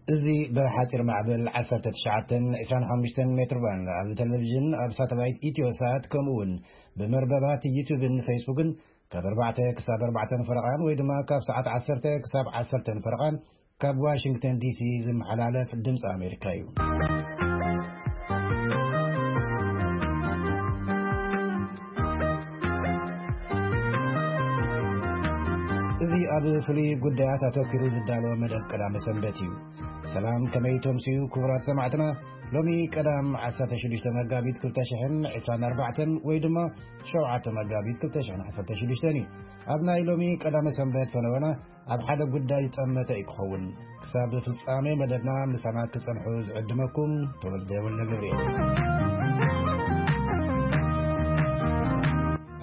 እዚ ብሓጺር ማዕበል ዓሰርተ ትሽዓተ ዕስራን ሓሙሽተን ሜትር ባንድ ኣብ ቴሌቪዥን፣ ኣብ ሳተላይት ኢትዮ ሳት፣ ከምኡ እውን ብመርበባት ዩቱብን ፌስቡክን ካብ ኣርባዕተ ክሳብ ኣርባዕተን ፈረቓን ወይ ድማ ካብ ሰዓት ዓሰርተ ክሳብ ዓሰርተን ፈረቓን ካብ ዋሽንግተን ዲሲ ዝመሓላለፍ ድምፂ ኣሜሪካ እዩ። እዚ ኣብ ፍሉይ ጉዳያት ኣተኪሩ ዝዳለወ መደብ ቀዳመ ሰንበት እዩ። ሰላም፣ ከመይ ተምስዩ ክቡራት ሰማዕትና? ሎሚ ቀዳም ዓሰርተ ሽዱሽተ መጋቢት ክልተ ሽሕን ዕስራን ኣርባዕተን ወይ ድማ ሸውዓተ መጋቢት ክልተ ሽሕን ዓሰርተ ሽዱሽተን እዩ። ኣብ ናይ ሎሚ ቀዳመ ሰንበት ፈነወና ኣብ ሓደ ጉዳይ ዝጠመተ እዩ ክኸውን። ክሳብ ፍጻሜ መደብና ምሳና ክጸንሑ ዝዕድመኩም ተወልደ ወልደ ገብርኤል።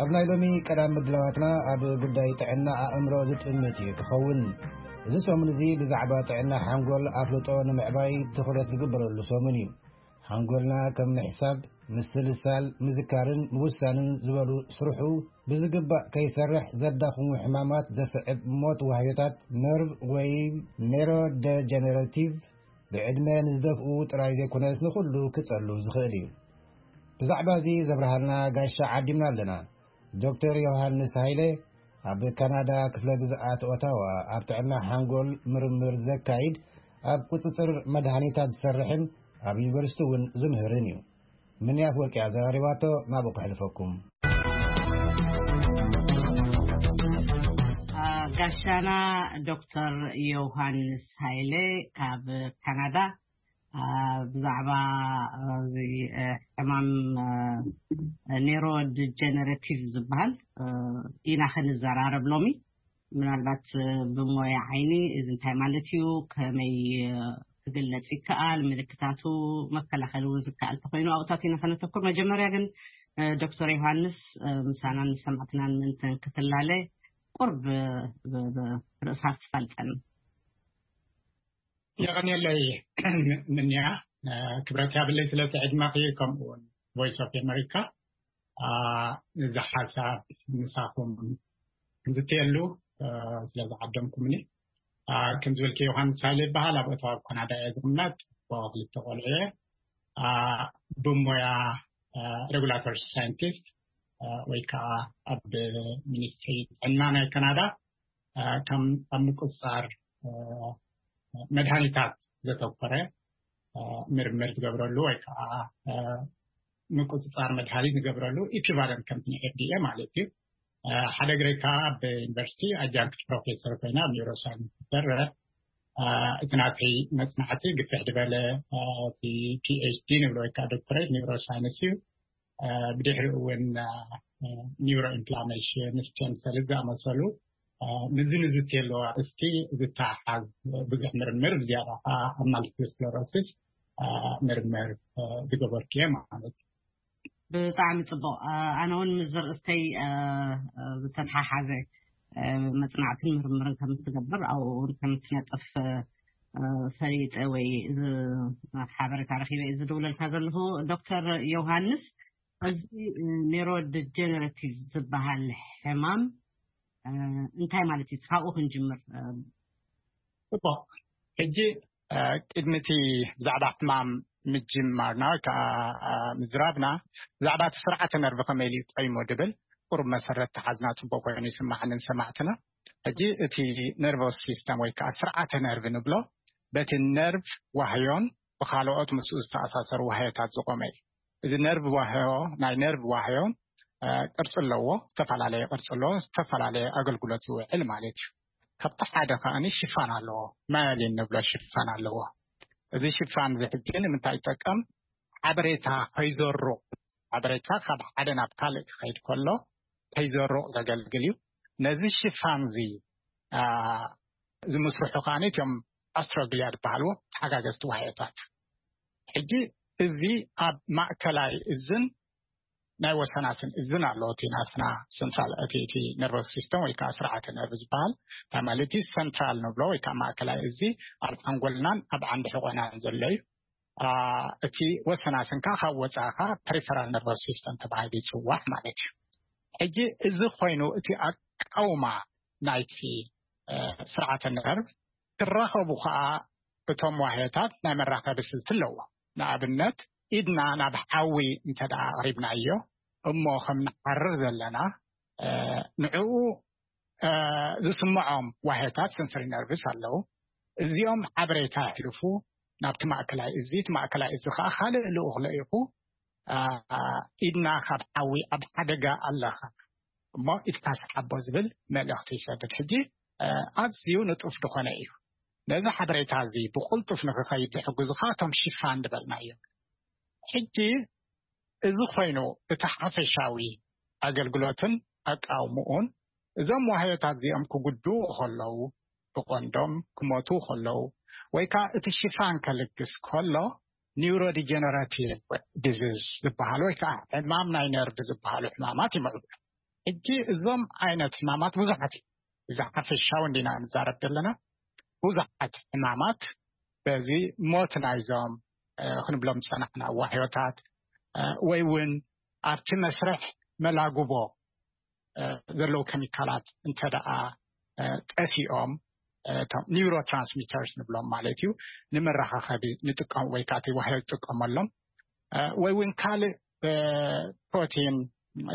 ኣብ ናይ ሎሚ ቀዳም ምድላዋትና ኣብ ጉዳይ ጥዕና ኣእምሮ ዝጥምት እዩ ክኸውን። እዚ ሰሙን እዚ ብዛዕባ ጥዕና ሓንጎል ኣፍልጦ ንምዕባይ ትኹረት ዝግበረሉ ሰሙን እዩ። ሓንጎልና ከም ምሕሳብ፣ ምስልሳል፣ ምዝካርን ምውሳንን ዝበሉ ስርሑ ብዝግባእ ከይሰርሕ ዘዳኽሙ ሕማማት ዘስዕብ ሞት ዋህዮታት ነርቭ ወይ ኔሮደጀነሬቲቭ ብዕድመ ንዝደፍኡ ጥራይ ዘይኮነስ ንኹሉ ክጸሉ ዝኽእል እዩ። ብዛዕባ እዚ ዘብርሃልና ጋሻ ዓዲምና ኣለና። ዶክተር ዮሃንስ ሃይለ ኣብ ካናዳ ክፍለ ግዝኣት ኦታዋ ኣብ ጥዕና ሓንጎል ምርምር ዘካይድ፣ ኣብ ቁጽጽር መድሃኒታት ዝሰርሕን ኣብ ዩኒቨርሲቲ እውን ዝምህርን እዩ። ምንያት ወርቂ ኣዘራሪባቶ፣ ናብኡ ከሕልፈኩም። አ፣ ጋሻና ዶክተር ዮሃንስ ሃይለ ካብ ካናዳ፣ አ፣ ብዛዕባ፣ አ፣ እዚ፣ አ፣ ሕማም፣ አ፣ ኔሮ ዲጀነሬቲቭ ዝበሃል፣ አ፣ ኢና ክንዘራረብ ሎሚ። ምናልባት፣ አ፣ ብሞያ ዓይኒ እዚ እንታይ ማለት እዩ፣ ከመይ፣ አ፣ ክግለጽ ይከኣል፣ ምልክታቱ፣ መከላኸሊ እውን ዝከኣል ተኮይኑ ኣብኡታት ኢና ከነተኩር። መጀመርያ ግን፣ አ፣ ዶክተር ዮሃንስ፣ አ፣ ምሳናን ንሰማዕትናን ምእንተን ክትላለ ቁርብ ብ-፣ ብ-፣ ርእስኻ ክትፋልጠን። የቐንየለይ ምንያ፣ አ፣ ክብረት ያብለይ ስለቲ ዕድመኺ፣ ከምኡ እውን ቮይስ ኦፍ ኣሜሪካ፣ አ፣ እዚ ሓሳብ ምሳኹም ንዝትየሉ፣ አ፣ ስለ ዝዓደምኩምኒ። አ፣ ከም ዝበልኪ ዮሃንስ ሃይለ ይበሃል፣ ኣብ ኦታዋ ኣብ ካናዳ እየ ዝቕመጥ። ኣቦ ክልተ ቆልዑ እየ። አ፣ ብሞያ፣ አ፣ ሬጉላቶሪ ሳይንቲስት፣ አ፣ ወይ ከዓ ኣብ ሚኒስትሪ ጥዕና ናይ ካናዳ፣ አ፣ ከም ኣብ ምቁፅፃር፣ አ፣ መድሃኒታት ዘተኮረ፣ አ፣ ምርምር ዝገብረሉ ወይ ከዓ፣ አ፣ ምቁፅፃር መድሃኒት ዝገብረሉ ኢኩቫለንት ከምቲ ናይ ኤፍ ዲ ኤ ማለት እዩ። አ፣ ሓደ ግረይ ከዓ ኣብ ዩኒቨርሲቲ ኣጃንክት ፕሮፌሰር ኮይና ኣብ ኒውሮሳይንስ ትሰርሕ። አ፣ እቲ ናተይ መፅናዕቲ ግፍሕ ዝበለ፣ አ፣ እቲ ፒ ኤች ዲ ንብሎ ወይ ከዓ ዶክተሬት ኒውሮሳይንስ እዩ። አ፣ ብድሕሪኡ እውን፣ አ፣ ኒውሮ ኢንፍላሜሽን፣ ስቴም ሰል ዝኣመሰሉ፣ አ፣ ምዚ ንዝትየለዉ ኣርእስቲ ዝተሓሓዝ ብዙሕ ምርምር፣ ብዝያዳ ከዓ ኣብ ማልቲፕል ስክለሮሲስ፣ አ፣ ምርምር፣ አ፣ ዝገበርኩ እየ ማለት እዩ። ብጣዕሚ ጽቡቕ። አ፣ ኣነ እውን ምስ ዘርእስተይ፣ አ፣ አ፣ ዝተተሓሓዘ፣ አ፣ መጽናዕትን ምርምርን ከም እትገብር፣ ኣብኡ እውን ከም እትነጥፍ፣ አ፣ ፈሊጠ ወይ ዝ-፣ ሓበሬታ ረኺበ እየ ዝድውለልካ ዘለኹ። ዶክተር ዮሃንስ፣ እዚ ኔሮ ዲጀነሬቲቭ ዝበሃል ሕማም፣ አ፣ እንታይ ማለት እዩ? ካብኡ ክንጅምር። አ፣ ጽቡቕ። ሕጂ፣ አ፣ ቅድሚ እቲ ብዛዕባ ሕማም ምጅማርና ወይ ከዓ፣ አ፣ ምዝራብና፣ ብዛዕባ እቲ ስርዓተ ነርቭ ከመይ ኢሉ እዩ ቆይሙ ድብል ቁሩብ መሰረት ተሓዝና ጽቡቕ ኮይኑ ይስማዓኒ ንሰማዕትና። ሕጂ እቲ ነርቨስ ሲስተም ወይ ከዓ ስርዓተ ነርቭ ንብሎ፣ በቲ ነርቭ ዋህዮን ብኻልኦት ምስኡ ዝተኣሳሰሩ ዋህዮታት ዝቖመ እዩ። እዚ ነርቭ ዋህዮ፣ ናይ ነርቭ ዋህዮ፣ አ፣ ቅርጺ ኣለዎ፣ ዝተፈላለየ ቅርጺ ኣለዎ፣ ዝተፈላለየ ኣገልግሎት ይውዕል ማለት እዩ። ካብቲ ሓደ ከኣኒ ሽፋን ኣለዎ፣ ማያሊን ንብሎ ሽፋን ኣለዎ። እዚ ሽፋን እዚ ሕጂ ንምንታይ ይጠቀም? ሓበሬታ ከይዘሩቕ፣ ሓበሬታ ካብ ሓደ ናብ ካልእ ክኸይድ ከሎ ከይዘሩቕ ዘገልግል እዩ። ነዚ ሽፋን እዚ፣ አ፣ ዝምስርሑ ከኣኒ እቶም ኣስትሮግሊያ ዝበሃልዎ ተሓጋገዝቲ ዋህዮታት። ሕጂ እዚ ኣብ ማእከላይ እዝን ናይ ወሰናስን እዝን ኣሎ። እቲ ናትና ሰንትራል፣ እቲ፣ እቲ ነርቨስ ሲስተም ወይ ከዓ ስርዓተ ነርቭ ዝበሃል፣ እንታይ ማለት እዩ? ሰንትራል ንብሎ ወይ ከዓ ማእከላይ እዚ ኣብ ሓንጎልናን ኣብ ዓንዲ ሕቖናን ዘሎ እዩ። አ፣ እቲ ወሰናስን ከዓ ካብ ወፃኢ ከዓ ፐሪፈራል ነርቨስ ሲስተም ተባሂሉ ይፅዋዕ ማለት እዩ። ሕጂ እዚ ኮይኑ እቲ ኣቃውማ ናይቲ፣ እ፣ ስርዓተ ነርቭ ክራኸቡ ከዓ እቶም ዋህዮታት ናይ መራኸቢ ስልቲ ኣለዎ። ንኣብነት፣ ኢድና ናብ ሓዊ እንተ ደኣ ኣቕሪብናዮ፣ እሞ ከም ንሓርር ዘለና፣ እ፣ ንዕኡ፣ እ፣ ዝስምዖም ዋህዮታት ሰንሰሪ ነርቭስ ኣለዉ። እዚኦም ሓበሬታ የሕልፉ ናብቲ ማእከላይ እዚ፣ እቲ ማእከላይ እዚ ኸኣ ካልእ ልኡኽ ልኢኹ፣ እ፣ ኢድና ካብ ሓዊ ኣብ ሓደጋ ኣለኻ፣ እሞ ኢድካ ሰሓቦ ዝብል መልእኽቲ ይሰድድ። ሕጂ፣ እ፣ ኣዝዩ ንጡፍ ዝኾነ እዩ። ነዚ ሓበሬታ እዚ ብቕልጡፍ ንክኸይድ ዝሕግዙኻ እቶም ሽፋን ዝበልናዮም። ሕጂ እዚ ኮይኑ እቲ ሓፈሻዊ ኣገልግሎትን ኣቃውምኡን፣ እዞም ዋህዮታት እዚኦም ክጉድኡ ከለዉ፣ ብቐንዶም ክሞቱ ከለዉ፣ ወይ ከኣ እቲ ሽፋን ከልግስ ከሎ፣ ኒውሮዲጀነራቲቭ ዲዚዝ ዝበሃል ወይ ከኣ ሕማም ናይ ነርቭ ዝበሃሉ ሕማማት ይምዕብሉ። ሕጂ እዞም ዓይነት ሕማማት ብዙሓት እዮም። እዚ ሓፈሻዊ እንዲና ንዛረብ ዘለና። ብዙሓት ሕማማት በዚ ሞት ናይዞም፣ እ፣ ክንብሎም ዝጸናሕና ዋህዮታት፣ እ፣ ወይ እውን ኣብቲ መስርሕ መላጉቦ፣ እ፣ ዘለዉ ኬሚካላት እንተ ደኣ፣ እ፣ ጠፊኦም፣ እ፣ እቶም ኒውሮትራንስሚተርስ ንብሎም ማለት እዩ፣ ንመራኻኸቢ ንጥቀም ወይ ከዓ እቲ ዋህዮ ዝጥቀመሎም፣ እ፣ ወይ እውን ካልእ፣ እ፣ ፕሮቲን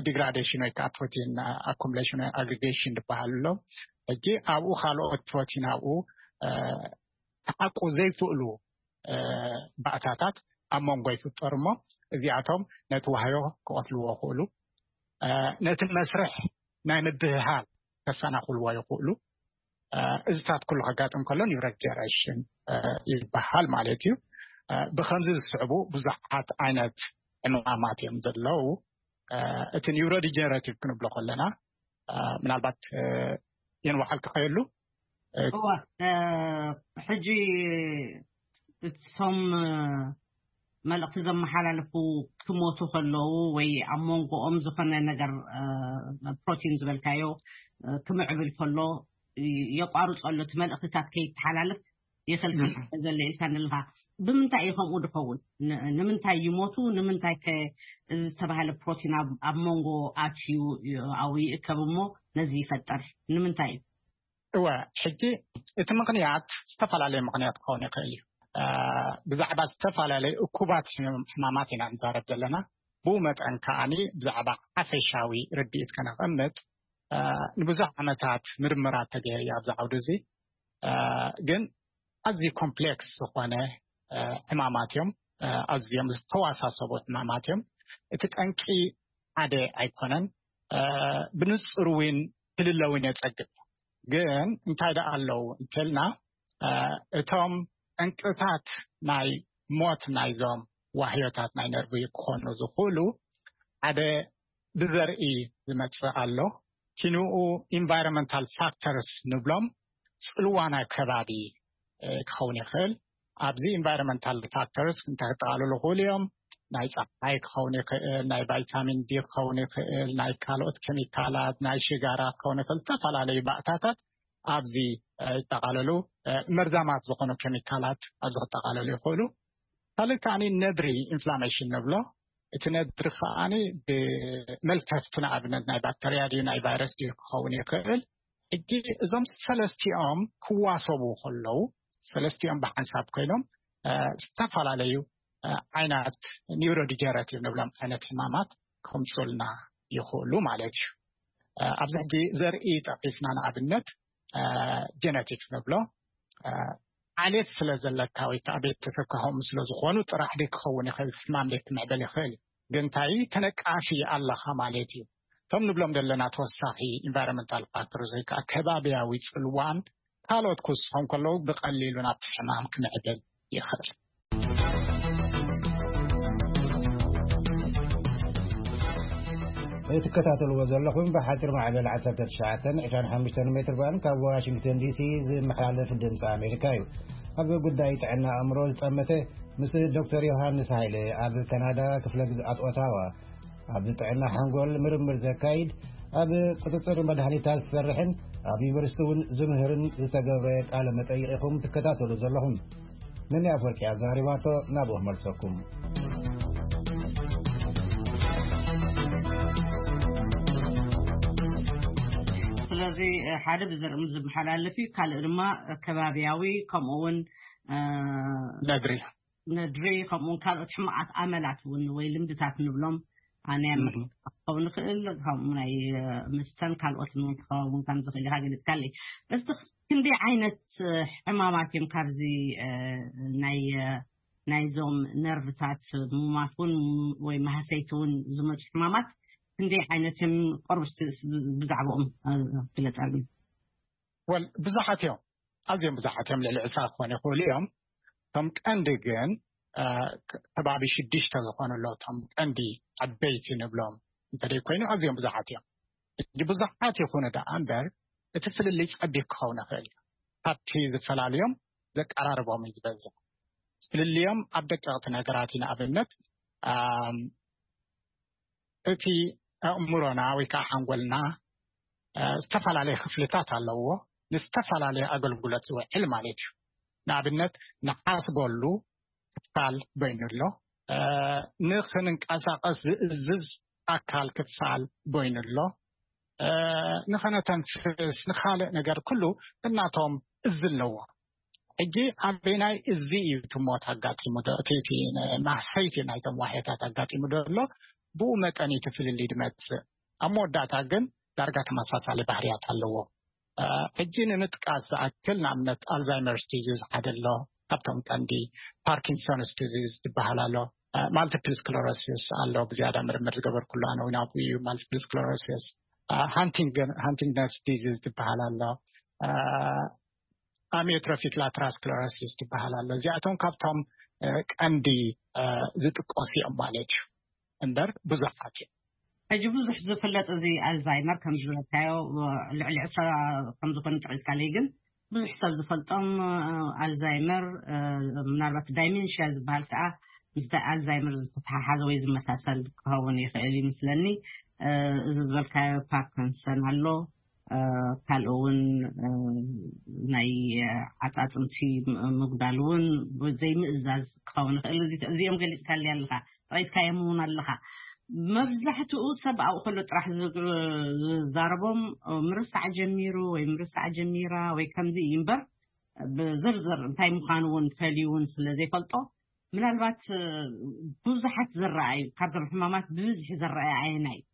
ዲግራዴሽን ወይ ከዓ ፕሮቲን ኣኩሙሌሽን ወይ ኣግሪጌሽን ዝበሃል ኣሎ። ሕጂ ኣብኡ ካልኦት ፕሮቲን ኣብኡ፣ እ፣ ክሓቁ ዘይክእሉ፣ እ፣ ባእታታት ኣብ መንጎ ይፍጠሩ እሞ፣ እዚኣቶም ነቲ ዋህዮ ክቐትልዎ ይኽእሉ። እ፣ ነቲ መስርሕ ናይ ምብህሃል ከሰናኽልዎ ይኽእሉ። እ፣ እዚታት ኩሉ ከጋጥም ከሎ ኒውሮዲጀነሬሽን፣ እ፣ ይበሃል ማለት እዩ። እ፣ ብኸምዚ ዝስዕቡ ብዙሓት ዓይነት ዕማማት እዮም ዘለዉ። እ፣ እቲ ኒውሮዲጀነሬቲቭ ክንብሎ ከለና፣ እ፣ ምናልባት፣ እ፣ የንዋሓል ክኸየሉ፣ እ፣ እወ፣ እ፣ ሕጂ እቶም፣ እ፣ መልእኽቲ ዘመሓላልፉ ክሞቱ ከለዉ ወይ ኣብ መንጎኦም ዝኾነ ነገር፣ እ፣ ፕሮቲን ዝበልካዮ፣ እ፣ ክምዕብል ከሎ፣ እ፣ የቋርጾ ኣሎ፣ እቲ መልእኽትታት ከይተሓላልፍ ይኽልክል እም። ዘሎ ኢልካ ንልኻ። ብምንታይ እዩ ከምኡ ድኸውን? ን-፣ ንምንታይ ይሞቱ? ንምንታይ ከ እዚ ዝተባህለ ፕሮቲን ኣብ፣ ኣብ መንጎ ኣትዩ ይ-፣ ኣብኡ ይእከብ እሞ ነዚ ይፈጥር? ንምንታይ እዩ? እወ፣ ሕጂ እቲ ምኽንያት ዝተፈላለየ ምኽንያት ክኸውን ይኽእል እዩ። እ፣ ብዛዕባ ዝተፈላለየ እኩባት ሕም-፣ ሕማማት ኢና ንዛረብ ዘለና። ብኡ መጠን ከኣኒ ብዛዕባ ሓፈሻዊ ርድኢት ከነቐምጥ፣ እ፣ ንብዙሕ ዓመታት ምርምራት ተገይሩ ኣብዚ ዓውዲ እዚ። እ፣ ግን ኣዝዩ ኮምፕሌክስ ዝኾነ፣ እ፣ ሕማማት እዮም። እ፣ ኣዝዮም ዝተዋሳሰቡ ሕማማት እዮም። እቲ ጠንቂ ሓደ ኣይኮነን። እ፣ ብንጹር እውን ክልለ እውን የጸግም። ግን እንታይ ደኣ ኣለዉ እንተልና፣ እ፣ እቶም ጠንቅታት ናይ ሞት ናይዞም ዋህዮታት ናይ ነርቪ ክኾኑ ዝኽእሉ፣ ሓደ ብዘርኢ ዝመጽእ ኣሎ። ኪንኡ ኢንቫይሮንመንታል ፋክተርስ ንብሎም፣ ጽልዋ ናይ ከባቢ፣ እ፣ ክኸውን ይኽእል። ኣብዚ ኢንቫይሮንመንታል ፋክተርስ እንታይ ክጠቓልሉ ይኽእሉ እዮም? ናይ ጸሓይ ክኸውን ይኽእል፣ ናይ ቫይታሚን ዲ ክኸውን ይኽእል፣ ናይ ካልኦት ኬሚካላት፣ ናይ ሽጋራ ክኸውን ይኽእል። ዝተፈላለዩ ባእታታት ኣብዚ፣ እ፣ ይጠቓለሉ። እ፣ መርዛማት ዝኾኑ ኬሚካላት ኣብዚ ክጠቓለሉ ይኽእሉ። ካልእ ከኣኒ ነድሪ ኢንፍላሜሽን ንብሎ። እቲ ነድሪ ከኣኒ ብመልከፍቲ ንኣብነት ናይ ባክተርያ ድዩ ናይ ቫይረስ ድዩ ክኸውን ይኽእል። ሕጂ እዞም ሰለስቲኦም ክዋሰቡ ከለዉ፣ ሰለስቲኦም ብሓንሳብ ኮይኖም፣ እ፣ ዝተፈላለዩ፣ እ፣ ዓይነት ኒውሮዲጀነሬቲቭ ንብሎም ዓይነት ሕማማት ከምጹልና ይኽእሉ ማለት እዩ። እ፣ ኣብዚ ሕጂ ዘርኢ ጠቒስና ንኣብነት፣ እ፣ ጀነቲክስ ንብሎ፣ እ፣ ዓሌት ስለ ዘለካ ወይ ከዓ ቤተሰብካ ከምኡ ስለ ዝኾኑ ጥራሕ ደይ ክኸውን ይኽእል፣ ሕማም ደይ ክምዕበል ይኽእል እዩ። ግን እንታይ ተነቃፊ ኣለኻ ማለት እዩ። እቶም ንብሎም ዘለና ተወሳኺ ኢንቫይሮንመንታል ፋክተርስ ወይ ከዓ ከባብያዊ ጽልዋን ካልኦት ክውስኾም ከለዉ ብቐሊሉ ናብቲ ሕማም ክምዕብል ይኽእል። እትከታተልዎ ዘለኹም ብሓፂር ማዕበል ዓሰርተ ትሽዓተ ዕስራን ሓሙሽተን ሜትር ባንድ ካብ ዋሽንግተን ዲሲ ዝመሓላለፍ ድምፂ ኣሜሪካ እዩ። ኣብ ጉዳይ ጥዕና ኣእምሮ ዝጠመተ ምስ ዶክተር ዮሃንስ ሃይለ ኣብ ካናዳ ክፍለ ግዝኣት ኦታዋ ኣብ ጥዕና ሓንጎል ምርምር ዘካይድ፣ ኣብ ቁፅፅር መድሃኒታት ዝሰርሕን ኣብ ዩኒቨርሲቲ እውን ዝምህርን ዝተገብረ ቃለ መጠይቕ ኢኹም ትከታተሉ ዘለኹም። ነኒ ኣፈወርቂ ኣዛሪባቶ ናብኡ መልሰኩም። ስለዚ ሓደ ብዘርኢ ዝመሓላለፍ እዩ፣ ካልእ ድማ ከባብያዊ ከምኡ እውን ነድሪ፣ ነድሪ፣ ከምኡውን ካልኦት ሕማቓት ኣመላት እውን ወይ ልምድታት ንብሎም ኣነ ክኸውን ይኽእል፣ ከምኡ ናይ መስተን ካልኦትን ክኸውን ከም ዝኽእል ኢኻ ገሊጽካለይ። እስቲ ክንደይ ዓይነት ሕማማት እዮም ካብዚ ናይ ናይዞም ነርቭታት ሙማት እውን ወይ ማህሰይቲ እውን ዝመፁ ሕማማት ክንደይ ዓይነት እዮም? ቆርብ ብዛዕባኦም ግለፀልኒ። ወል ብዙሓት እዮም፣ ኣዝዮም ብዙሓት እዮም። ልዕሊ ዕስራ ክኾኑ ይኽእሉ እዮም። እቶም ቀንዲ ግን ከባቢ ሽዱሽተ ዝኾኑ ኣሎ። እቶም ቀንዲ ዓበይቲ ንብሎም እንተደይ ኮይኑ ኣዝዮም ብዙሓት እዮም። ብዙሓት ይኹኑ ደኣ እምበር እቲ ፍልልይ ጸቢብ ክኸውን ይኽእል እዩ። ካብቲ ዝፈላልዮም ዘቀራርቦም እዩ ዝበዝሕ። ፍልልዮም ኣብ ደቀቕቲ ነገራት እዩ። ንኣብነት እቲ ኣእምሮና ወይ ከዓ ሓንጎልና ዝተፈላለየ ክፍልታት ኣለዎ፣ ንዝተፈላለየ ኣገልግሎት ዝውዕል ማለት እዩ። ንኣብነት ንሓስበሉ ክፋል በይኑ ኣሎ፣ ንኽንንቀሳቐስ ዝእዝዝ ኣካል ክፋል በይኑ ኣሎ፣ ንኸነተንፍስ ንኻልእ ነገር ኩሉ እናቶም እዝ ኣለዎ። ሕጂ ኣበናይ እዚ እዩ እቲ ሞት ኣጋጢሙ ዶ እቲ ማህሰይቲ ናይቶም ዋሕዮታት ኣጋጢሙ ዶ ኣሎ? ብኡ መጠን እቲ ፍልልይ ድመፅእ። ኣብ መወዳእታ ግን ዳርጋ ተመሳሳሊ ባህርያት ኣለዎ። ሕጂ ንምጥቃስ ዝኣክል ንኣብነት ኣልዛይመርስ ዲዚዝ ሓደ ኣሎ፣ ካብቶም ቀንዲ ፓርኪንሶንስ ዲዚዝ ዝበሃል ኣሎ፣ ማልቲፕል ስክለሮሲስ ኣሎ። ብዝያዳ ምርምር ዝገበርኩሉ ኣነ እውን ኣብኡ እዩ። ማልቲፕል ስክለሮሲስ፣ ሃንቲንግተንስ ዲዚዝ ዝበሃል ኣሎ፣ ኣሚዮትሮፊክ ላተራል ስክለሮሲስ ዝበሃል ኣሎ። እዚኣቶም ካብቶም ቀንዲ ዝጥቀሱ እዮም ማለት እዩ። እምበር ብዙሓት እዮም። ሕጂ ብዙሕ ዝፍለጥ እዚ ኣልዛይመር ከም ዝበልካዮ ልዕሊ ዕስራ ከም ዝኾኑ ጠቒስካለይ፣ ግን ብዙሕ ሰብ ዝፈልጦም ኣልዛይመር ምናልባት ዳይሜንሽያ ዝበሃል ከዓ ምስ ኣልዛይመር ዝተተሓሓዘ ወይ ዝመሳሰል ክኸውን ይኽእል ይመስለኒ። እዚ ዝበልካዮ ፓርኪንሰን ኣሎ፣ ካልኦ እውን ናይ ዓፃፅምቲ ምጉዳል እውን ዘይምእዛዝ ክኸውን ይኽእል። እዚኦም ገሊፅካለይ ኣለኻ፣ ጠቒስካዮም እውን ኣለኻ። መብዛሕትኡ ሰብ ኣብኡ ከሎ ጥራሕ ዝዛረቦም ምርሳዕ ጀሚሩ ወይ ምርሳዕ ጀሚራ ወይ ከምዚ እዩ እምበር ብዝርዝር እንታይ ምዃኑ እውን ፈልዩ እውን ስለ ዘይፈልጦ ምናልባት ብዙሓት ዝረኣዩ ካብዞም ሕማማት ብብዝሒ ዝረኣዩ ኣየናይ እዩ?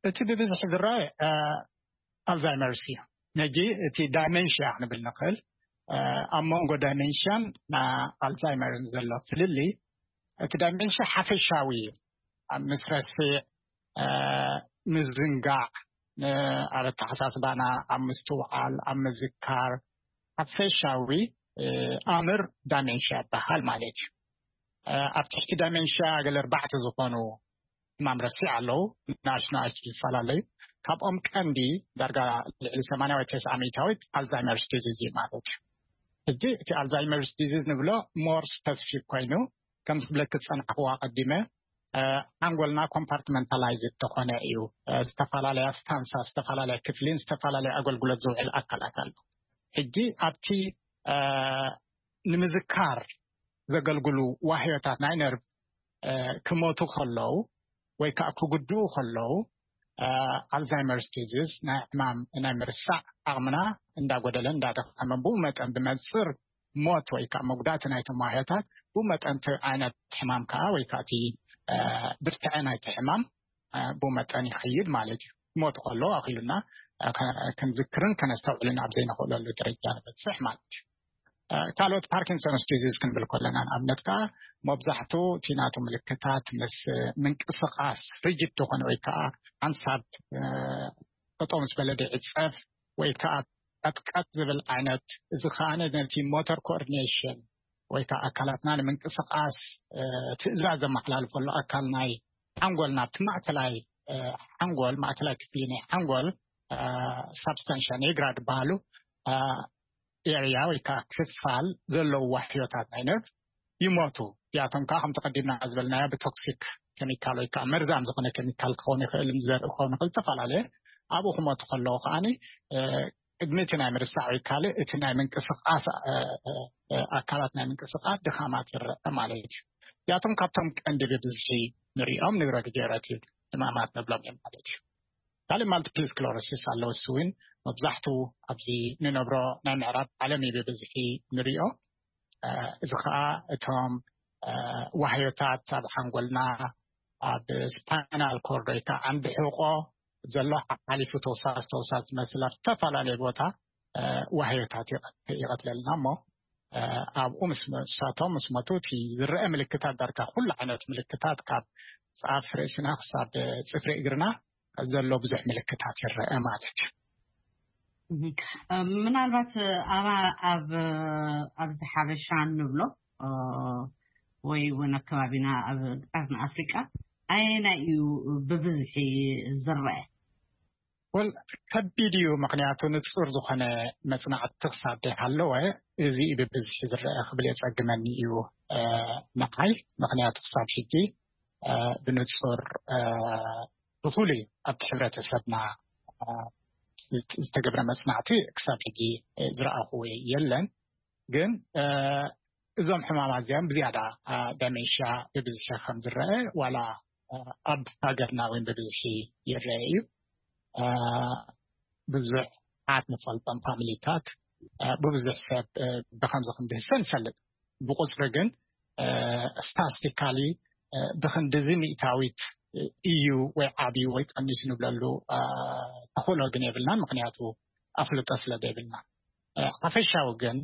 እቲ ብብዝሒ ዝረኣየ ኣልዛይመርስ እዩ። ነጂ እቲ ዳይመንሽያ ክንብል ንኽእል። ኣብ መንጎ ዳይመንሽያን ኣልዛይመርን ዘሎ ፍልልይ፣ እቲ ዳይመንሽያ ሓፈሻዊ እዩ። ኣብ ምስረስዕ፣ ምዝንጋዕ፣ ኣብ ኣተሓሳስባና፣ ኣብ ምስትውዓል፣ ኣብ ምዝካር ሓፈሻዊ ኣምር ዳይመንሽያ ይበሃል ማለት እዩ። ኣብ ትሕቲ ዳይመንሽያ ገለ ኣርባዕተ ዝኾኑ ሕማም ረሲዕ ኣለዉ። ንኣሽቱ ንኣሽቱ ዝፈላለዩ፣ ካብኦም ቀንዲ ዳርጋ ልዕሊ ሰማንያ ወይ ተስዓ ሚእታዊት ኣልዛይመርስ ዲዚዝ እዩ ማለት እዩ። ሕጂ እቲ ኣልዛይመርስ ዲዚዝ ንብሎ ሞር ስፐሲፊክ ኮይኑ፣ ከም ዝብለክ ዝጸናሕኩዋ ቀዲመ፣ ሓንጎልና ኮምፓርትመንታላይዝ ተኾነ እዩ። ዝተፈላለያ ስታንሳ፣ ዝተፈላለያ ክፍሊን ዝተፈላለያ ኣገልግሎት ዝውዕል ኣካላት ኣሎ። ሕጂ ኣብቲ ንምዝካር ዘገልግሉ ዋህዮታት ናይ ነርቭ ክሞቱ ከለዉ ወይ ከዓ ክጉድኡ ከለዉ፣ ኣልዛይመርስ ዲዚዝ ናይ ዕማም ናይ ምርሳዕ ዓቕምና እንዳጎደለ እንዳደኸመ፣ ብኡ መጠን ብመንፅር ሞት ወይ ከዓ መጉዳእቲ ናይቶም ዋህዮታት፣ ብኡ መጠን እቲ ዓይነት ሕማም ከዓ ወይ ከዓ እቲ ብርትዐ ናይቲ ሕማም ብኡ መጠን ይኸይድ ማለት እዩ። ሞት ከሎ ኣኺሉና ክንዝክርን ከነስተውዕልን ኣብ ዘይንኽእለሉ ደረጃ ንበፅሕ ማለት እዩ። ካልኦት ፓርኪንሶንስ ዲዚዝ ክንብል ከለና፣ ንኣብነት ከዓ መብዛሕትኡ እቲ ናቱ ምልክታት ምስ ምንቅስቃስ ሪጅድ ዝኾነ ወይ ከዓ ሓንሳብ ጠጠው ምስ በለ ይዕፀፍ ወይ ከዓ ቀጥቀጥ ዝብል ዓይነት፣ እዚ ከዓ ነቲ ሞተር ኮኦርዲኔሽን ወይ ከዓ ኣካላትና ንምንቅስቃስ ትእዛዝ ዘመሓላልፈሉ ኣካል ናይ ሓንጎል ናብቲ ማእከላይ ሓንጎል፣ ማእከላይ ክፍሊ ናይ ሓንጎል ሳብስታንሻ ኔግራ ዝበሃሉ ኤርያ ወይ ከዓ ክፋል ዘለዉ ዋሕዮታት ናይ ነርቭ ይሞቱ። እዚኣቶም ከዓ ከምቲ ቀዲምና ዝበልናዮ ብቶክሲክ ኬሚካል ወይ ከዓ መርዛም ዝኾነ ኬሚካል ክኸውን ይኽእል፣ ዘርኢ ክኸውን ይኽእል፣ ዝተፈላለየ ኣብኡ ክሞቱ ከለዉ ከዓኒ ቅድሚ እቲ ናይ ምርሳዕ ወይ ካልእ እቲ ናይ ምንቅስቃስ ኣካላት ናይ ምንቅስቃስ ድኻማት ይረአ ማለት እዩ። እዚኣቶም ካብቶም ቀንዲ ብብዝሒ ንሪኦም ኒውሮዲጀነሬቲቭ ሕማማት ንብሎም እዮም ማለት እዩ። ካልእ ማልቲፕል ስክለሮሲስ ኣለዉ። እሱ እውን መብዛሕትኡ ኣብዚ ንነብሮ ናይ ምዕራብ ዓለም እዩ ብብዝሒ ንሪኦ። እዚ ከዓ እቶም ዋህዮታት ኣብ ሓንጎልና ኣብ ስፓይናል ኮርድ ወይ ከዓ ዓንዲ ሕቆ ዘሎ ሓሊፉ ተውሳስ ተውሳስ ዝመስል ኣብ ዝተፈላለየ ቦታ ዋህዮታት ይቐትለልና እሞ ኣብኡ ምስሳቶም ምስ መቱ እቲ ዝረአ ምልክታት ዳርጋ ኩሉ ዓይነት ምልክታት ካብ ፃፍ ርእስና ክሳብ ፅፍሪ እግርና ዘሎ ብዙሕ ምልክታት ይረአ ማለት እዩ። ምናልባት ኣብ ኣብዚ ሓበሻ እንብሎ ወይ እውን ኣከባቢና ኣብ ቀርኒ ኣፍሪቃ ኣየናይ እዩ ብብዝሒ ዝረአ? ወል ከቢድ እዩ፣ ምክንያቱ ንፁር ዝኾነ መፅናዕቲ ክሳብ ደይሃለወ እዚ እዩ ብብዝሒ ዝረአ ክብል የፀግመኒ እዩ ንዓይ። ምክንያቱ ክሳብ ሕጂ ብንፁር ብፍሉይ ኣብቲ ሕብረተሰብና ዝተገብረ መፅናዕቲ ክሳብ ሕጂ ዝረኣኹዎ የለን። ግን እዞም ሕማማት እዚኦም ብዝያዳ ደሜንሽያ ብብዝሒ ከም ዝረአ ዋላ ኣብ ሃገርና እውን ብብዝሒ ይረአ እዩ። ብዙሕ ዓት ንፈልጦም ፋሚሊታት ብብዙሕ ሰብ ብከምዚ ክንድህሰ ንፈልጥ። ብቁፅሪ ግን ስታስቲካሊ ብክንድዚ ሚእታዊት እዩ ወይ ዓብዩ ወይ ቀኒሱ ንብለሉ ተኽእሎ ግን የብልናን፣ ምክንያቱ ኣፍልጦ ስለ ዘይብልና። ሓፈሻዊ ግን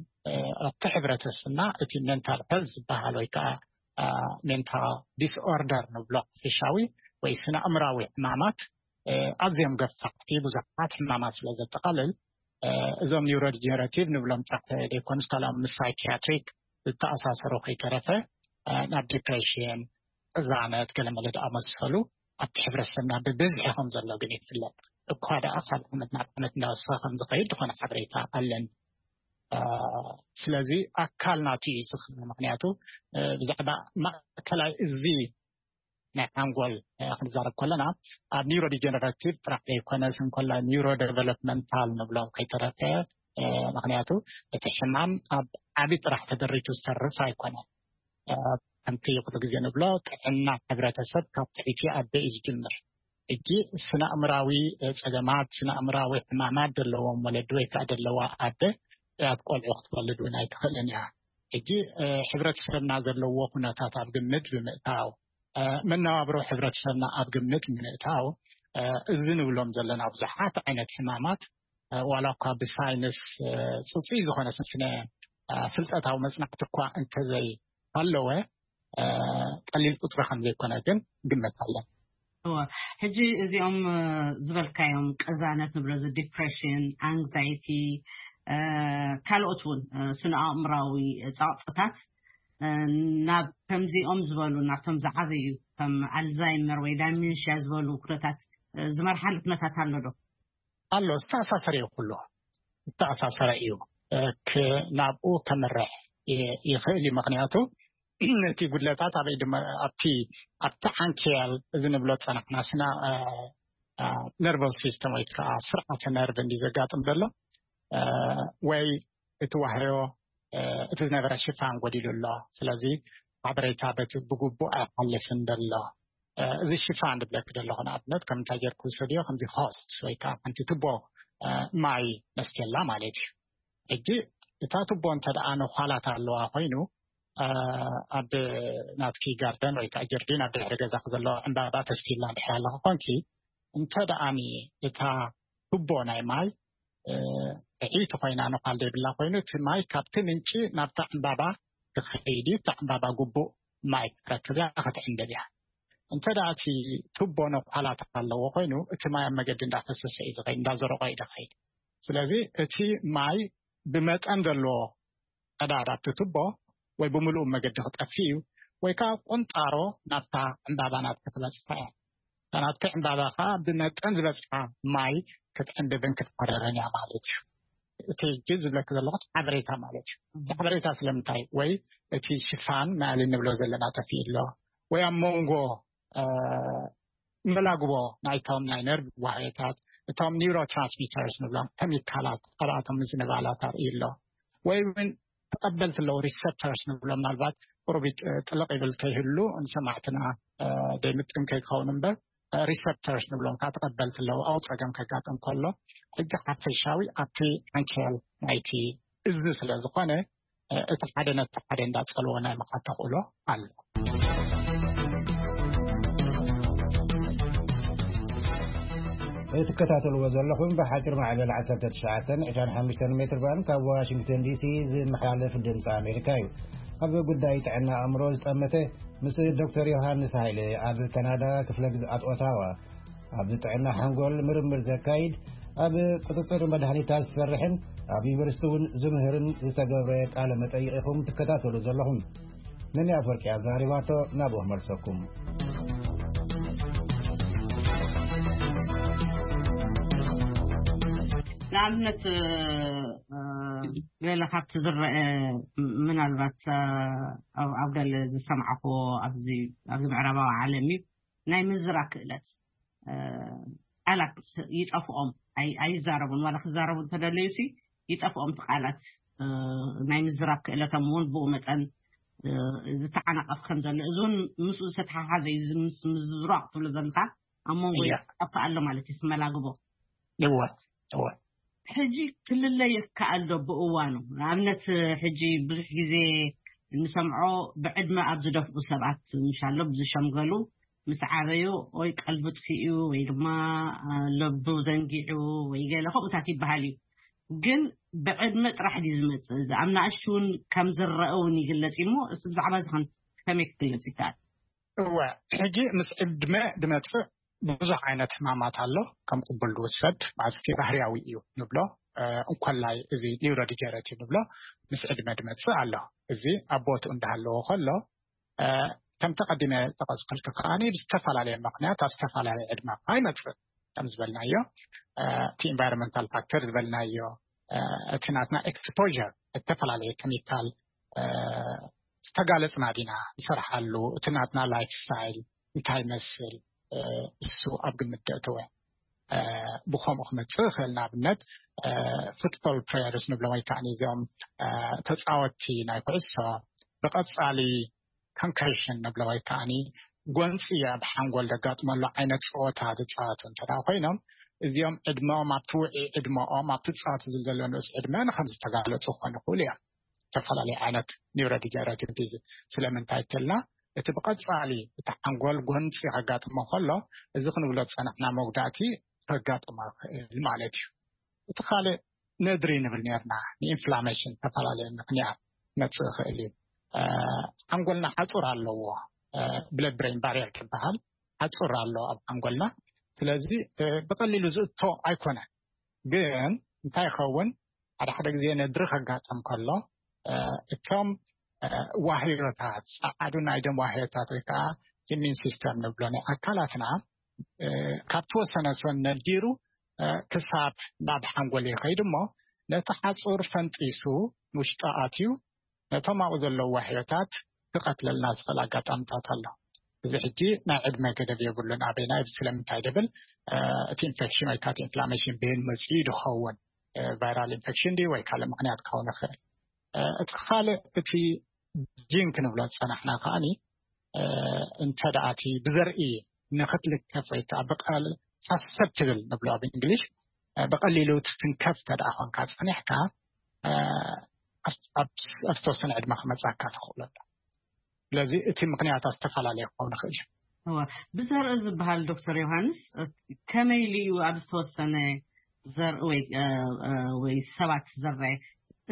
ኣብቲ ሕብረተሰብና እቲ ሜንታል ሄልት ዝበሃል ወይ ከዓ ሜንታል ዲስኦርደር ንብሎ ሓፈሻዊ ወይ ስነ ኣእምራዊ ሕማማት ኣዝዮም ገፋሕቲ ብዙሓት ሕማማት ስለ ዘጠቓልል እዞም ኒውሮዲጀነሬቲቭ ንብሎም ጥራሕ ዘይኮኑስ ካልኦም ምስ ሳይኪያትሪክ ዝተኣሳሰሩ ከይተረፈ ናብ ዲፕሬሽን፣ ቅዛነት፣ ገለመለ ዝኣመሰሉ ኣብቲ ሕብረተሰብና ብብዝሒ ከም ዘሎ ግን ይፍለጥ። እኳ ደኣ ካብ ዓመት ናብ ዓመት እንዳወሰኸ ከም ዝኸይድ ዝኾነ ሓበሬታ ኣለን። ስለዚ ኣካል ናቱ እዩ ዝኽእል። ምክንያቱ ብዛዕባ ማእከላይ እዚ ናይ ሓንጎል ክንዛረብ ከለና ኣብ ኒውሮ ዲጀነራቲቭ ጥራሕ ዘይኮነስ እንኮላይ ኒውሮ ዴቨሎፕመንታል ንብሎም ከይተረፈ። ምክንያቱ እቲ ሕማም ኣብ ዓቢ ጥራሕ ተደሪቱ ዝተርፍ ኣይኮነን። ከምቲ ኩሉ ግዜ ንብሎ ጥዕና ሕብረተሰብ ካብ ትሕቲ ኣደ እዩ ዝጅምር። ሕጂ ስነ ኣእምራዊ ጸገማት፣ ስነ ኣእምራዊ ሕማማት ዘለዎም ወለዲ ወይ ከዓ ዘለዋ ኣደ እያት ቆልዑ ክትወልድ እውን ኣይትኽእልን እያ። ሕጂ ሕብረተሰብና ዘለዎ ኩነታት ኣብ ግምት ብምእታው፣ መነባብሮ ሕብረተሰብና ኣብ ግምት ብምእታው፣ እዚ ንብሎም ዘለና ብዙሓት ዓይነት ሕማማት ዋላ እኳ ብሳይንስ ፅፁይ ዝኾነ ስነ ፍልጠታዊ መፅናዕቲ እኳ እንተዘይ ኣለወ ቀሊል ቁፅሪ ከም ዘይኮነ ግን ግምት ኣለን። ሕጂ እዚኦም ዝበልካዮም ቅዛነት ንብሎ እዚ ዲፕሬሽን፣ ኣንግዛይቲ፣ ካልኦት እውን ስነ ኣእምራዊ ፃቕጥታት ናብ ከምዚኦም ዝበሉ ናብቶም ዝዓበዩ ከም ኣልዛይመር ወይ ዳሚንሽያ ዝበሉ ኩነታት ዝመርሓሉ ኩነታት ኣሎ ዶ? ኣሎ፣ ዝተኣሳሰረ እዩ፣ ኩሉ ዝተኣሳሰረ እዩ። ናብኡ ከምርሕ ይኽእል እዩ። ምክንያቱ እቲ ጉድለታት ኣበይ ድማ ኣብቲ ኣብቲ ዓንኬል እዚ ንብሎ ፀናሕና ስና ነርቨስ ሲስተም ወይ ከዓ ስርዓተ ነርቭ እንዲ ዘጋጥም ዘሎ ወይ እቲ ዋህዮ እቲ ዝነበረ ሽፋን ጎዲሉ ኣሎ። ስለዚ ሓበሬታ በቲ ብግቡእ ኣይሓልፍን ዘሎ። እዚ ሽፋን ዝብለክ ዘለኹ ንኣብነት ከም እንታይ ጌርኩ ዝሰድዮ ከምዚ ሆስት ወይ ከዓ ሓንቲ ትቦ ማይ መስትየላ ማለት እዩ። ሕጂ እታ ትቦ እንተ ደኣ ነዃላት ኣለዋ ኮይኑ ኣብ ናትኪ ጋርደን ወይ ከዓ ጀርዲን ኣብ ድሕሪ ገዛክ ዘሎ ዕምባባ ተስቲላ ድሕሪ ኣለካ ኮንኪ እንተ ደኣኒ እታ ትቦ ናይ ማይ ጥዕይቲ ኮይና ነዃል ዘይብላ ኮይኑ እቲ ማይ ካብቲ ምንጪ ናብታ ዕምባባ ክኸይድ እዩ። እታ ዕምባባ ግቡእ ማይ ክትረክብ እያ፣ ክትዕንብብ እያ። እንተ ደኣ እቲ ቱቦ ነኳላት ኣለዎ ኮይኑ እቲ ማይ ኣብ መገዲ እንዳፈሰሰ እዩ ዝኸይድ፣ እንዳዘረቆ እዩ ዝኸይድ። ስለዚ እቲ ማይ ብመጠን ዘለዎ ቀዳድ ኣብቲ ቱቦ ወይ ብምሉኡ መገዲ ክጠፍእ እዩ ወይ ከዓ ቁንጣሮ ናብታ ዕምባባ ናትኪ ክበፅሓ እያ። እታ ናትኪ ዕምባባ ከዓ ብመጠን ዝበፅሓ ማይ ክትዕንብብን ክትፈረርን እያ ማለት እዩ። እቲ ሕጂ ዝብለኪ ዘለኹ ሓበሬታ ማለት እዩ። እቲ ሓበሬታ ስለምንታይ ወይ እቲ ሽፋን ማሊ ንብሎ ዘለና ጠፊኡ ኣሎ ወይ ኣብ መንጎ መላግቦ ናይቶም ናይ ነርቭ ዋህዮታት እቶም ኒውሮ ትራንስሚተርስ ንብሎም ኬሚካላት ኣብኣቶም ምዝንባላት ኣርእዩ ኣሎ ወይ እውን ተቐበልቲ ኣለዉ ሪሰፕተርስ ንብሎም ምናልባት ቁሩብ ጥልቕ ይብል ከይህሉ ንሰማዕትና ዘይምጥን ከይከውን እምበር ሪሰፕተርስ ንብሎም ከዓ ተቐበልቲ ኣለዉ ኣብኡ ፀገም ከጋጥም ከሎ ሕጂ ሓፈሻዊ ኣብቲ ዓንኬል ናይቲ እዚ ስለ ዝኾነ እቲ ሓደ ነቲ ሓደ እንዳጸለዎ ናይ ምኻድ ተኽእሎ ኣሎ። እትከታተልዎ ዘለኹም ብሓፂር ማዕበል ዓሰርተ ትሽዓተ ዕስራን ሓሙሽተን ሜትር ባንድ ካብ ዋሽንግተን ዲሲ ዝመሓላለፍ ድምፂ ኣሜሪካ እዩ። ኣብ ጉዳይ ጥዕና ኣእምሮ ዝጠመተ ምስ ዶክተር ዮሃንስ ሃይለ ኣብ ካናዳ ክፍለ ግዝኣት ኦታዋ ኣብ ጥዕና ሓንጎል ምርምር ዘካይድ፣ ኣብ ቁፅፅር መድሃኒታት ዝሰርሕን ኣብ ዩኒቨርሲቲ እውን ዝምህርን ዝተገብረ ቃለ መጠይቕ ኢኹም ትከታተሉ ዘለኹም። ነኒ ኣፈወርቂ ኣዛሪባቶ ናብኡ መልሰኩም። ንኣብነት ገለ ካብቲ ዝረአ ምናልባት ኣብ ገለ ዝሰማዕክዎ ኣብዚ ምዕራባዊ ዓለም እዩ፣ ናይ ምዝራብ ክእለት ቃላት ይጠፍኦም፣ ኣይዛረቡን። ዋላ ክዛረቡ እንተደለዩ ሲ ይጠፍኦም እቲ ቃላት። ናይ ምዝራብ ክእለቶም እውን ብኡ መጠን ዝተዓናቐፍ ከም ዘሎ፣ እዚ እውን ምስኡ ዝተተሓሓዘ እዩ። እዚ ምስ ምዝራቕ ትብሎ ዘለካ ኣብ መንጎ ይጠፍእ ኣሎ ማለት እዩ፣ ክመላግቦ። እወ እወ። ሕጂ ክልለ ይከኣል ዶ ብእዋኑ? ንኣብነት ሕጂ ብዙሕ ግዜ እንሰምዖ ብዕድመ ኣብ ዝደፍኡ ሰባት፣ ምሻሎ ብዝሸምገሉ ምስ ዓበዩ ወይ ቀልቡ ጥፊኡ ወይ ድማ ለቡ ዘንጊዑ ወይ ገለ ከምኡታት ይበሃል እዩ። ግን ብዕድመ ጥራሕ ድዩ ዝመጽእ? እዚ ኣብ ንኣሽቱ እውን ከም ዝረአ እውን ይግለጽ እዩ እሞ፣ እስ ብዛዕባ እዚ ከም-፣ ከመይ ክግለጽ ይከኣል? እወ፣ ሕጂ ምስ ዕድመ ድመጽእ ብዙሕ ዓይነት ሕማማት ኣሎ። ከም ቅቡል ድውሰድ ማለት ባህርያዊ እዩ ንብሎ። እንኮላይ እዚ ኒውሮዲጀነሬቲቭ ንብሎ ምስ ዕድመ ድመጽእ ኣሎ። እዚ ኣብ ቦትኡ እንዳሃለዎ ከሎ፣ ከምቲ ቀዲመ ጠቐስኩልኪ ከዓኒ ብዝተፈላለየ ምኽንያት ኣብ ዝተፈላለየ ዕድመ ይመጽእ። ከም ዝበልናዮ፣ እቲ ኢንቫይሮንመንታል ፋክተር ዝበልናዮ፣ እቲ ናትና ኤክስፖር፣ ዝተፈላለየ ኬሚካል ዝተጋለጽና ዲና ንሰርሓሉ፣ እቲ ናትና ላይፍ ስታይል እንታይ ይመስል፣ እሱ ኣብ ግምት ደእተወ። ብኸምኡ ክመጽእ ይኽእል። ንኣብነት፣ ፉትቦል ፕሌየርስ ንብሎም ወይ ከዓ እዚኦም ተፃወትቲ ናይ ኩዕሶ ብቐፃሊ ኮንከሽን ንብሎ ወይ ከዓ ጎንፂ ኣብ ሓንጎል ዘጋጥመሉ ዓይነት ፀወታ ዝፃወቱ እንተ ኮይኖም፣ እዚኦም ዕድመኦም ኣብቲ ውዒ ዕድመኦም ኣብቲ ዝፃወቱ ዘሎ ንኡስ ዕድመ ንከም ዝተጋለፁ ክኾኑ ይኽእሉ እዮም። ዝተፈላለዩ ዓይነት ኒውሮዲጀነሬቲቭ ዲዚዝ። ስለምንታይ ተልና እቲ ብቐፃሊ እቲ ሓንጎል ጎንፂ ከጋጥሞ ከሎ፣ እዚ ክንብሎ ዝፀናሕና መጉዳእቲ ከጋጥሞ ይኽእል ማለት እዩ። እቲ ካልእ ነድሪ ንብል ነርና፣ ንኢንፍላሜሽን ዝተፈላለየ ምኽንያት መፅእ ይኽእል እዩ። ሓንጎልና ሓፁር ኣለዎ፣ ብለድ ብሬን ባሪየር ዝበሃል ሓፁር ኣሎ ኣብ ሓንጎልና። ስለዚ ብቐሊሉ ዝእቶ ኣይኮነን። ግን እንታይ ይኸውን፣ ሓደ ሓደ ግዜ ነድሪ ከጋጥም ከሎ፣ እቶም ዋህዮታት፣ ጸዓዱ ናይ ደም ዋህዮታት ወይ ከዓ ኢሚን ሲስተም ንብሎ ናይ ኣካላትና፣ ካብ ተወሰነ ሰን ነዲሩ ክሳብ ናብ ሓንጎል ይኸይድ እሞ፣ ነቲ ሓፁር ፈንጢሱ ንውሽጢ ኣትዩ ነቶም ኣብኡ ዘለዉ ዋህዮታት ክቐትለልና ዝኽእል ኣጋጣሚታት ኣሎ። እዚ ሕጂ ናይ ዕድመ ገደብ የብሉን። ኣበይና እዩ? ስለምንታይ ደብል፣ እቲ ኢንፌክሽን ወይ ከዓ ኢንፍላሜሽን በየን መፅኡ ድኸውን፣ ቫይራል ኢንፌክሽን ድዩ ወይ ካልእ ምኽንያት ክኸውን ይኽእል። እቲ ካልእ እቲ ጂን ክንብሎ ዝፀናሕና ከዓኒ፣ እንተ ደኣ እቲ ብዘርኢ ንክትልከፍ ወይ ከዓ ብቀል ሳሰፕትብል ንብሎ ኣብ እንግሊሽ፣ ብቐሊሉ ትትንከፍ እንተ ደኣ ኮንካ ፀኒሕካ፣ ኣብ ዝተወሰነ ዕድመ ክመፃካ ተኽእሎ ኣሎ። ስለዚ እቲ ምኽንያታት ዝተፈላለየ ክኸውን ይኽእል እዩ። ብዘርኢ ዝበሃል ዶክተር ዮሃንስ፣ ከመይ ኢሉ እዩ ኣብ ዝተወሰነ ዘርኢ ወይ ሰባት ዝረአ?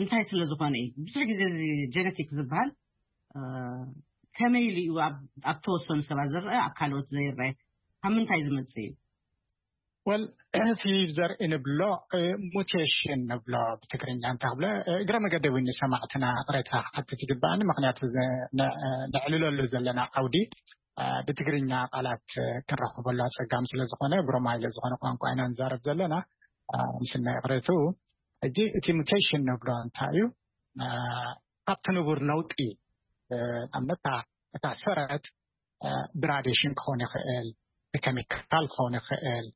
እንታይ ስለ ዝኾነ እዩ? ብዙሕ ግዜ እዚ ጀነቲክ ዝበሃል ከመይ ኢሉ እዩ ኣብ ተወሰኑ ሰባት ዝረአ፣ ኣብ ካልኦት ዘይረአ? ካብ ምንታይ ዝመፅእ እዩ? ወል፣ እቲ ዘርኢ ንብሎ ሙቴሽን ንብሎ ብትግርኛ እንታይ ክብሎ፣ እግረ መገዲ እውን ንሰማዕትና ቅሬታ ክሓትት ይግባኣኒ። ምክንያቱ ነዕልለሉ ዘለና ዓውዲ ብትግርኛ ቃላት ክንረኽበሉ ኣፀጋሚ ስለዝኾነ፣ ብሮማይለ ዝኾነ ቋንቋ ኢና ንዛረብ ዘለና። ምስና ይቕሬቱ። ሕጂ እቲ ሙቴሽን ንብሎ እንታይ እዩ? ካብቲ ንቡር ለውጢ፣ ኣብነት እታ ሰረት ብራዲሽን ክኸውን ይኽእል፣ ብኬሚካል ክኸውን ይኽእል፣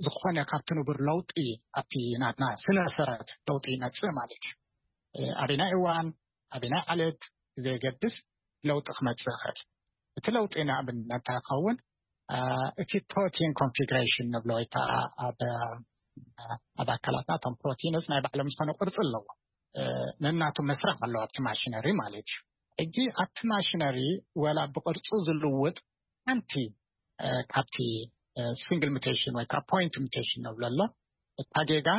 ዝኾነ ካብቲ ንቡር ለውጢ ኣብቲ ናትና ስነ ሰረት ለውጢ ይመፅእ ማለት እዩ። ኣበናይ እዋን ኣበናይ ዓሌት ብዘየገድስ ለውጢ ክመፅእ ይኽእል። እቲ ለውጢ ንኣብነት እንታይ ይኸውን? እቲ ፕሮቲን ኮንፊግሬሽን ንብሎ ወይ ከዓ ኣብ ኣካላትና እቶም ፕሮቲንስ ናይ ባዕሎም ዝኾነ ቅርፂ ኣለዎ። ነናቱ መስራሕ ኣለዎ ኣብቲ ማሽነሪ ማለት እዩ። ሕጂ ኣብቲ ማሽነሪ ወላ ብቕርጹ ዝልውጥ ሓንቲ ካብቲ ሲንግል ሙቴሽን ወይ ከዓ ፖይንት ሙቴሽን ንብሎ ኣሎ። እታ ጌጋ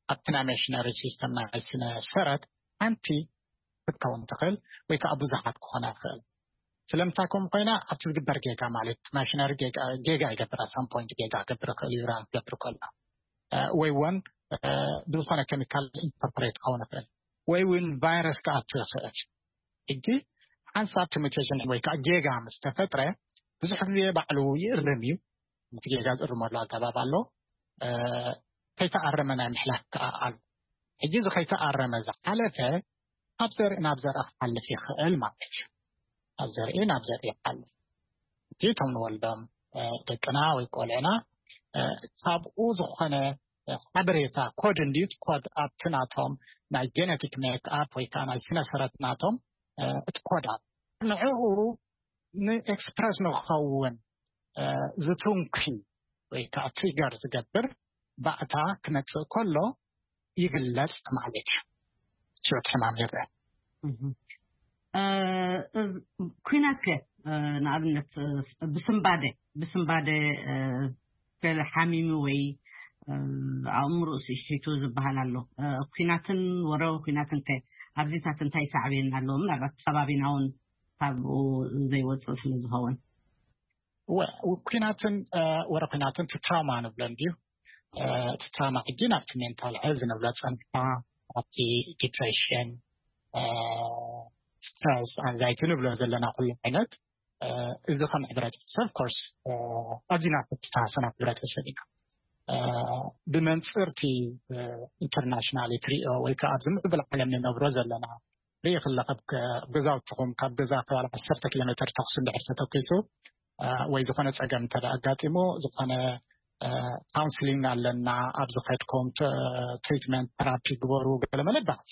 ኣብቲ ናይ ማሽነሪ ሲስተም ናይ ስነ ሰረት ሓንቲ ክትከውን ትኽእል ወይ ከዓ ብዙሓት ክኾና ይኽእል። ስለምንታይ ከምኡ ኮይና ኣብቲ ዝግበር ጌጋ ማለት ማሽነሪ ጌጋ ይገብር ኣሳም ፖይንት ጌጋ ክገብር ይኽእል እዩ ራን ክገብር ከሎ ወይ እውን ብዝኾነ ኬሚካል ኢንኮርፖሬት ክኸውን ይኽእል ወይ እውን ቫይረስ ክኣቱ ይኽእል። ሕጂ ሓንሳብ እቲ ሙቴሽን ወይ ከዓ ጌጋ ምስ ተፈጥረ ብዙሕ ግዜ ባዕሉ ይእርም እዩ። እቲ ጌጋ ዝእርመሉ ኣገባብ ኣሎ። ከይተኣረመ ናይ ምሕላፍ ከዓ ኣሎ። ሕጂ እዚ ከይተኣረመ ዝሓለፈ ካብ ዘርኢ ናብ ዘርኢ ክሓልፍ ይኽእል ማለት እዩ። ካብ ዘርኢ ናብ ዘርኢ ይሓልፍ። እቲ እቶም ንወልዶም ደቅና ወይ ቆልዕና ካብኡ ዝኾነ ሓበሬታ ኮድ እንድዩ ኮድ ኣብቲ ናቶም ናይ ጀነቲክ ሜክ ኣፕ ወይ ከዓ ናይ ስነ ሰረት ናቶም እቲ ኮድ ኣብ ንዕኡ ንኤክስፕረስ ንክኸውን ዝትንኪ ወይ ከዓ ትሪገር ዝገብር ባእታ ክመፅእ ከሎ ይግለፅ ማለት እዩ። ህይወት ሕማም ይረአ። ኩናት ከ ንኣብነት ብስምባደ ብስምባደ ገለ ሓሚሙ ወይ ኣእምሮኡ ስሒቱ ዝበሃል ኣሎ። ኩናትን ወረ ኩናትን ከ ኣብዚታት እንታይ ሳዕቤን ኣለዎ? ምናልባት ከባቢና እውን ካብኡ ዘይወፅእ ስለ ዝኸውን ኩናትን ወረ ኩናትን ትራውማ ንብሎ እንድዩ። እቲ ትራውማ ሕጂ ናብቲ ሜንታል ሄልዝ ንብሎ ፀንሕካ ኣብቲ ዲፕሬሽን፣ ስትረስ፣ ኣንዛይቲ ንብሎ ዘለና ኩሉ ዓይነት እዚ ከም ሕብረተሰብ ኮርስ ኣዚና ተተሳሰና ሕብረተሰብ ኢና። ብመንፅርቲ ኢንተርናሽናል ትሪኦ ወይ ከዓ ኣብዚ ምዕብል ዓለም ንነብሮ ዘለና ርኢ ክለኸብ ገዛውትኹም ካብ ገዛ ተባል ዓሰርተ ኪሎ ሜትር ተኩስ እንድሕር ተተኪሱ ወይ ዝኾነ ፀገም እንተ ኣጋጢሙ ዝኾነ ካውንስሊንግ ኣለና ኣብዚ ከድኩም ትሪትመንት ተራፒ ግበሩ ገለመለ ይበሃል።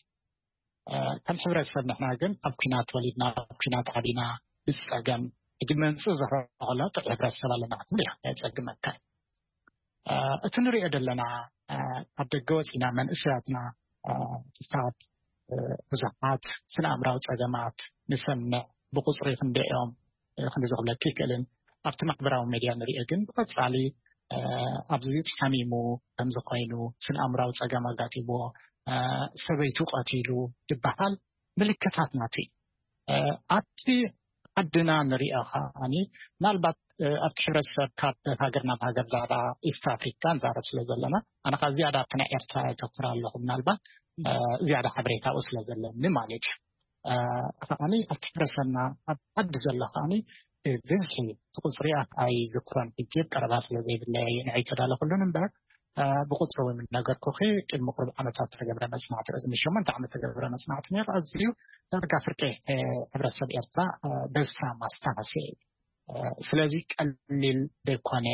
ከም ሕብረተሰብ ንሕና ግን ኣብ ኩናት ተወሊድና ኣብ ኩናት ዓቢና ብፀገም ሕጂ መንፅእ ዝረኸሎ ጥዑ ሕብረተሰብ ኣለና ክትብል እያ የፀግመካ። እቲ ንሪኦ ዘለና ካብ ደገ ወፂና መንእሰያትና ክሳብ ብዙሓት ስነ ኣእምራዊ ፀገማት ንሰምዕ ብቁፅሪ ክንደኦም ክንዲ ዝኽብለኪ ይክእልን ኣብቲ ማሕበራዊ ሜድያ ንሪኦ ግን ብቐፃሊ ኣብዚ ተሓሚሙ ከምዚ ኮይኑ ስነ ኣእምራዊ ፀገም ኣጋጢምዎ ሰበይቱ ቀቲሉ ዝበሃል ምልክታት ናቱ እዩ። ኣብቲ ዓድና ንሪኦ ከዓኒ ምናልባት ኣብቲ ሕብረተሰብ ካብ ሃገር ናብ ሃገር ዛዕባ ኢስት ኣፍሪካ ንዛረብ ስለ ዘለና ኣነ ካብ ዝያዳ ኣብቲ ናይ ኤርትራ የተኩር ኣለኹ ምናልባት ዝያዳ ሓበሬታኡ ስለ ዘለኒ ማለት እዩ። ከዓኒ ኣብቲ ሕብረተሰብና ኣብ ዓዲ ዘሎ ከዓኒ ብብዝሒ እቲ ቁፅሪ ኣይዝክሮን ሕጂ ቀረባ ስለ ዘይብለይ ንዐይ ተዳለኩሉን እምበር ብቁፅሪ እውን ነገርኩኺ ቅድሚ ቅሩብ ዓመታት ተገብረ መፅናዕቲ እዚ ሸሞንተ ዓመት ተገብረ መፅናዕቲ ነይሩ ኣዝዩ ዳርጋ ፍርቂ ሕብረተሰብ ኤርትራ በዝታ ማስታወሲ እዩ። ስለዚ ቀሊል ዘይኮነ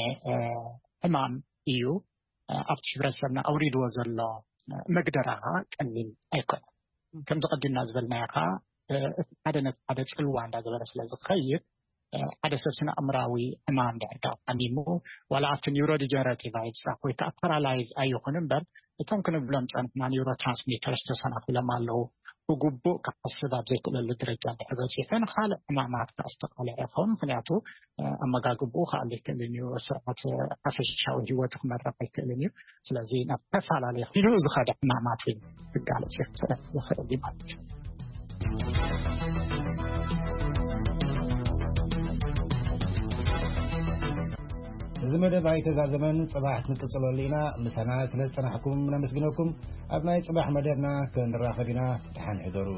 ሕማም እዩ። ኣብቲ ሕብረተሰብና ኣውሪድዎ ዘሎ መግደራ ቀሊል ኣይኮነን። ከምዚ ቀዲምና ዝበልናዮ ከዓ እቲ ሓደ ነቲ ሓደ ፅልዋ እንዳገበረ ስለ ዝኸይድ ሓደ ሰብ ስነ ኣእምራዊ ሕማም ድሕር ዳ ሓሚሙ ዋላ ኣብቲ ኒውሮ ዲጀነሬቲቭ ኣይብፃሕ ወይ ከዓ ፓራላይዝ ኣይኹን እምበር እቶም ክንብሎም ፀንሕና ኒውሮ ትራንስሚተርስ ተሰናኺሎም ኣለዉ። ብግቡእ ክሓስብ ኣብ ዘይክእለሉ ደረጃ እንድሕር በፂሑ ንካልእ ሕማማት ከዓ ዝተቃልዐ ይኸውን። ምክንያቱ ኣመጋግብኡ ክኣሊ ይክእልን እዩ። ስርዓት ሓፈሻዊ ህይወቱ ክመርሕ ኣይክእልን እዩ። ስለዚ ናብ ተፈላለየ ኢሉ ዝኸደ ሕማማት ክጋለፅ ይኽእል እዩ ማለት እዩ። እዚ መደብ ኣይተዛዘመን፣ ጽባሕ ክንቅጽለሉ ኢና። ምሳና ስለ ዝጸናሕኩም ነመስግነኩም። ኣብ ናይ ጽባሕ መደብና ክንራኸብ ኢና። ደሓን ሕደሩ።